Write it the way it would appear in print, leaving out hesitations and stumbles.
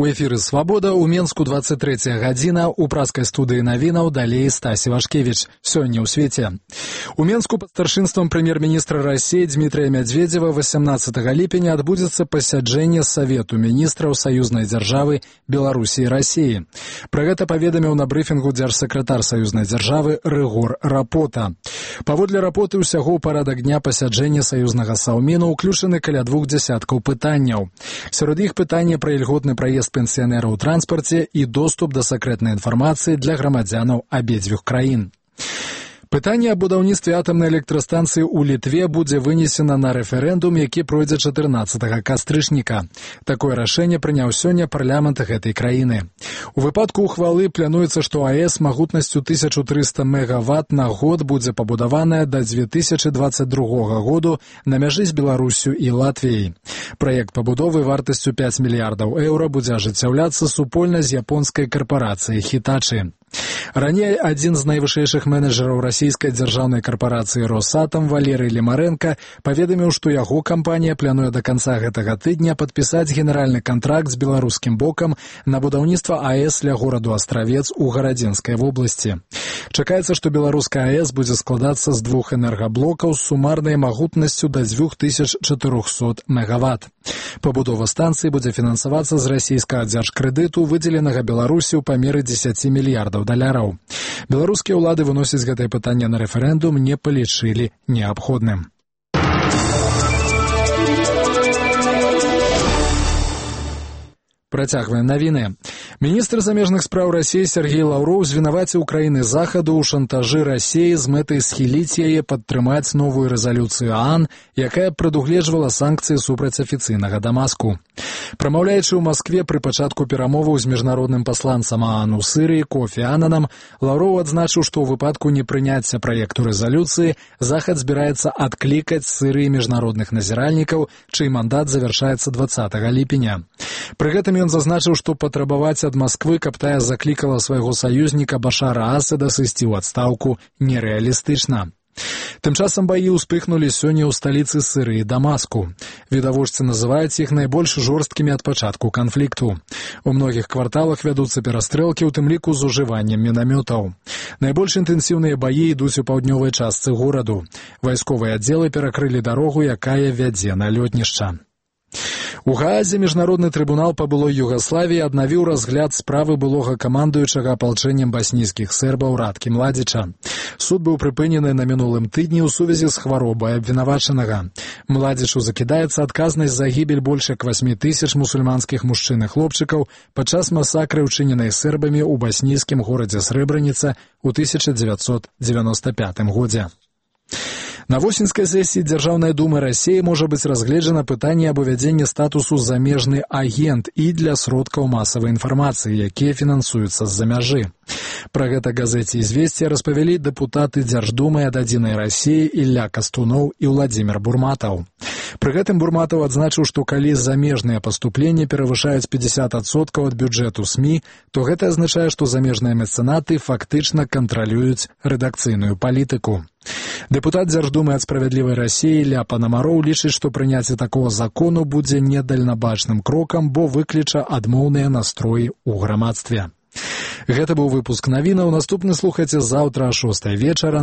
У эфіры «Свабода» ў Менску 23 гадзіна, у праскай студыі навінаў далей Стасі Вашкевіч. Сёння ў свеце. У Менску пад старшынствам прэм'ер-міністра России Дмитрия Медведева 18 ліпеня адбудзецца пасяджэнне Савету міністраў саюзнай дзяржавы Беларусі і России. Пра гэта паведаміў на брыфінгу дзяржсакратар саюзнай дзяржавы Рыгор Рапота. Паводле Рапоты ўсяго ў парадак дня пасяджэння саюзнага саўміну ўключаны каля 2 дзясяткаў пытанняў. Сярод іх пытанне пра ільготны праезд пенсіянераў у транспарце і доступ да сакрэтнай інфармацыі для грамадзянаў абедзвюх краін. Пытанне аб будаўніцтве атамнай электрастанцыі ў Літве будзе вынесена на рэферэндум, які пройдзе 14 кастрычніка. Такое рашэнне прыняў сёння парламент гэтай краіны. У выпадку ухвалы плануецца, што АЭС магутнасцю 1300 мегаватт на год будзе пабудаваная да 2022 году на мяжы з Беларусю і Латвіяй. Праект пабудовы вартасцю 5 мільярдаў еўра будзе ажыццяўляцца супольна з японскай карпарацыяй Хітачы. Раней адзін з найвышэйшых менеджераў расійскай дзяржаўнай карпорацыі «Росатом» Валерый Лемаренко паведаміў, што яго кампанія плануе да канца гэтага тыдня падпісаць генеральны кантракт з беларускім бокам на будаўніцтва АЭС ля гораду Астравец у Гарадзенскай вобласці. Чакаецца, што беларуская АЭС будзе складацца з 2 энергаблокаў з сумарнай магутнасцю да 2400 мегаватт. Пабудова станцыі будзе фінансавацца з расійскага дзяржкрэдыту, выдзеленага Беларусі ў памеры 10 мільярдаў даляраў. Беларускія ўлады выносяць гэтае пытанне на рэферэндум не палічылі неабходным. Працягваем навіны. Міністр замежных спраў Расіі Сергей Лаўроў звінаваціў краіны захаду ў шантажы Расіі з мэтай схіліць яе падтрымаць новую рэзалюцыю ААН, якая прадугледжвала санкцыі супраць афіцыйнага Дамаску. Прамаўляючы ў Маскве пры пачатку перамоваў з міжнародным пасланцам ААН у Сырыі Кофі Ананом, Лаўроў адзначыў, што ў выпадку непрыняцця праекту рэзалюцыі захад збіраецца адклікаць з Сырыі міжнародных назіральнікаў, чый мандат завяршаецца 20 ліпеня. Пры гэтым ён зазначыў, што патрабаваць ад Масквы, каб тая заклікала свайго саюзніка Башара Асада сысці ў адстаўку, нерэалістычна. Тым часам баі ўспыхнулі сёння ў сталіцы Сырыі Дамаску. Відавочцы называюць іх найбольш жорсткімі ад пачатку канфлікту. У многіх кварталах вядуцца перастрэлкі, у тым ліку з ужываннем мінамётаў. Найбольш інтэнсіўныя баі ідуць у паўднёвай частцы гораду. Вайсковыя аддзелы перакрылі дарогу, якая вядзе на лётнішча. У Гаазе міжнародны трыбунал па былой Югаславіі аднавіў разгляд справы былога камандуючага апалчэннем баснійскіх сербаў Радкі Младзіча. Суд быў прыпынены на мінулым тыдні ў сувязі з хваробай абвінавачанага. Младзічу закідаецца адказнасць за гібель больш як 8 тысяч мусульманскіх мужчын і хлопчыкаў падчас масакры, учыненай сербамі ў баснійскім горадзе Срэбраніца ў 1995 годзе. На восеньскай сесіі Дзяржаўнай думы Расіі можа быць разгледжана пытанне аб увядзенні статусу замежны агент і для сродкаў масавай інфармацыі, якія фінансуюцца з-за мяжы. Пра гэта газеце «Известия» распавялі дэпутаты Дзярждумы ад «Адзінай Расіі» Ілля Кастуноў і Владзімір Бурматаў. Пры гэтым Бурматаў адзначыў, што калі замежныя паступленні перавышаюць 50% ад бюджэту СМІ, то гэта азначае, што замежныя мецэнаты фактычна кантралююць рэдакцыйную палітыку. Дэпутат Дзярждумы ад «Справядлівай Расіі» Ілля Панамароў лічыць, што прыняцце такога закону будзе недальнабачным крокам, бо выкліча адмоўныя настроі ў грамадстве. Гэта быў выпуск навінаў. Наступны слухайце заўтра о 6 вечара.